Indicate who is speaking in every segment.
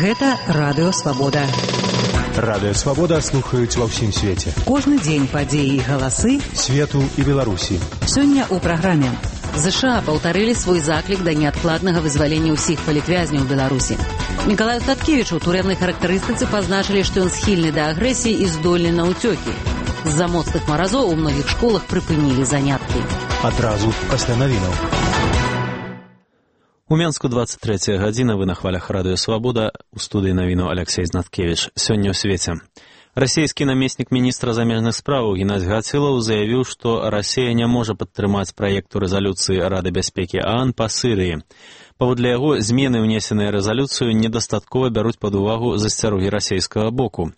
Speaker 1: Гэта Радыё Свабода.
Speaker 2: Радыё Свабода слухаюць ва ўсім свеце.
Speaker 1: Кожны дзень падзеі і галасы
Speaker 2: свету і Беларусі.
Speaker 1: Сёння ў праграме. ЗША паўтарылі свой заклік да неадкладнага вызвалення ўсіх палітвязняў Беларусі. Мікалаю Таткевічу ў турэмнай характарыстыцы пазначылі, што ён схільны да агрэсіі і здольны на ўцёкі. З-за моцных маразоў у многіх школах прыпынілі заняткі.
Speaker 2: Адразу пасля навінаў.
Speaker 3: У Менску 23 гадзіна, вы на хвалях Радыё Свабода, у студыі навіну Алексей Знаткевіч. Сёння ў свеце. Расійскі намеснік міністра замежных спраў Геннадзь Гацылаў заявіў, што Расія не можа падтрымаць праекту рэзалюцыі Рады бяспекі ААН па Сырыі. Паводле яго, змены, унесеныя рэзалюцыю, недастаткова бяруць пад увагу засцярогі расійскага боку.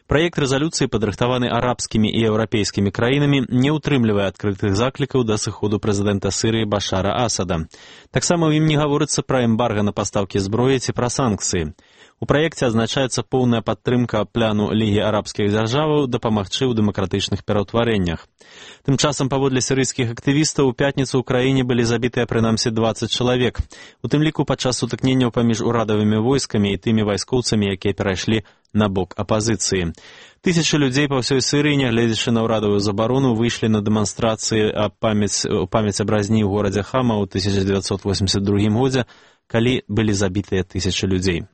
Speaker 3: Праект рэзалюцыі, падрыхтаваны арабскімі і еўрапейскімі краінамі, не ўтрымлівае адкрытых заклікаў да сыходу прэзідэнта Сырыі Башара Асада. Таксама ў ім не гаворыцца пра эмбарга на пастаўкі зброі ці пра санкцыі. У праекце адзначаецца поўная падтрымка пляну Лігі арабскіх дзяржаваў дапамагчы ў дэмакратычных пераўтварэннях. Тым часам, паводле сірыйскіх актывістаў, у пятніцу ў краіне былі забітыя прынамсі 20 чалавек. У тым ліку падчас сутыкненняў паміж урадавымі войскамі і тымі вайскоўцамі, якія перайшлі на бок апазіцыі. Тысячы людзей па ўсёй Сырыі, нягледзячы на ўрадавую забарону, выйшлі на дэманстрацыі памяць аб разні ў горадзе Хама ў 1982 годзе, калі былі забітыя тысячы людзей.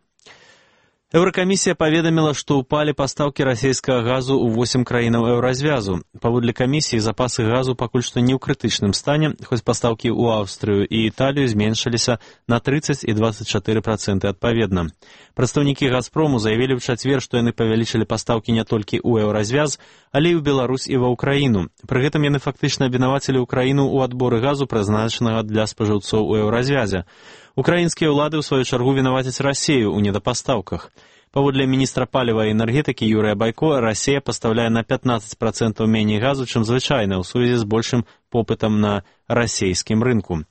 Speaker 3: Еўракамісія паведаміла, што ўпалі пастаўкі расійскага газу ў 8 краінаў еўразвязу. Паводле камісіі, запасы газу пакуль што не ў крытычным стане, хоць пастаўкі ў Аўстрыю і Італію зменшыліся на 30 і 24% адпаведна. Прадстаўнікі «Газпрому» заявілі ў чацвер, што яны павялічылі пастаўкі не толькі ў еўразвяз, але і ў Беларусь і ва ўкраіну. Пры гэтым яны фактычна абвінавацілі ўкраіну ў адборы газу, прызначанага для спажыўцоў у еўразвязе. Украінскія ўлады, ў сваю чаргу, вінавацяць Расію ў недапастаўках. Паводле міністра паліва і энергетыкі Юрыя Байко, Расія пастаўляе на 15% меней газу, чым звычайна, ў сувязі з большым попытам на расійскім рынку.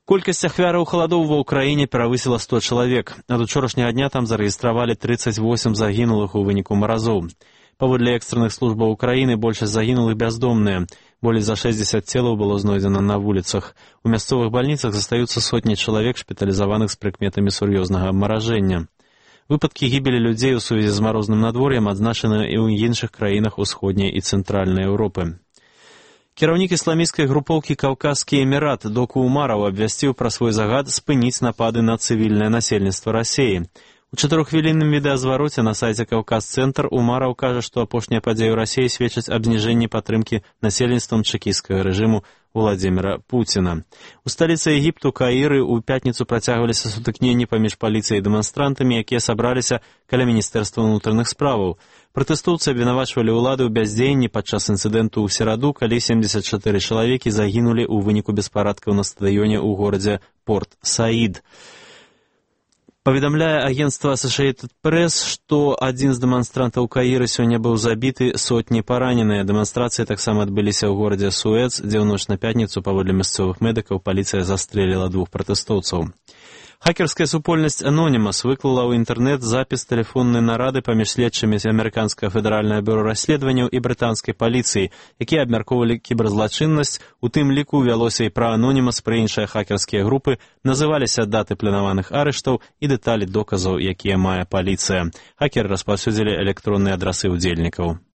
Speaker 3: Колькасць ахвяраў халадоў ва ўкраіне перавысіла 100 чалавек. Ад учорашняга дня там зарэгістравалі 38 загінулых у выніку маразоў. Паводле экстранных службаў Украіны, большасць загінулых бяздомныя. Болей за 60 целаў было знойдзена на вуліцах. У мясцовых бальніцах застаюцца сотні чалавек, шпіталізаваных з прыкметамі сур'ёзнага абмаражэння. Выпадкі гібелі людзей у сувязі з марозным надвор'ем адзначаны і ў іншых краінах усходняй і цэнтральнай Еўропы. Кіраўнік ісламісцкай групоўкі «Каўказскі эмірат» Доку Умараў абвясціў пра свой загад спыніць напады на цывільнае насельніцтва Расіі. У 4-хвілінным відэазвароце на сайце «Каўказ-цэнтр» Умараў кажа, што апошнія падзеі ў Расіі сведчаць аб зніжэнні падтрымкі насельніцтвам чэкісцкага рэжыму Владзіміра Пуціна. У сталіцы Егіпту Каіры ў пятніцу працягваліся сутыкненні паміж паліцыяй і дэманстрантамі, якія сабраліся каля міністэрства ўнутраных справаў. Пратэстоўцы абвінавачвалі ўлады ў бяздзеянні падчас інцыдэнту ў сераду, калі 74 чалавекі загінулі ў выніку беспарадкаў на стадыёне ў горадзе Порт-Саід. Паведамляе агенцтва Associated Press, што адзін з дэманстрантаў Каіры сёння быў забіты, сотні параненыя. Дэманстрацыі таксама адбыліся ў горадзе Суэц, дзе ў ноч на пятніцу, паводле мясцовых медыкаў, паліцыя застрэліла 2 пратэстоўцаў. Хакерская супольнасць Anonymous выклала ў інтэрнэт запіс тэлефоннай нарады паміж следчымі з Амерыканскага федэральнага бюро расследаванняў і брытанскай паліцыі, якія абмяркоўвалі кіберзлачыннасць, у тым ліку вялося і пра Anonymous, пра іншыя хакерскія групы, называліся даты планаваных арыштаў і дэталі доказаў, якія мае паліцыя. Хакеры распаўсюдзілі электронныя адрасы ўдзельнікаў.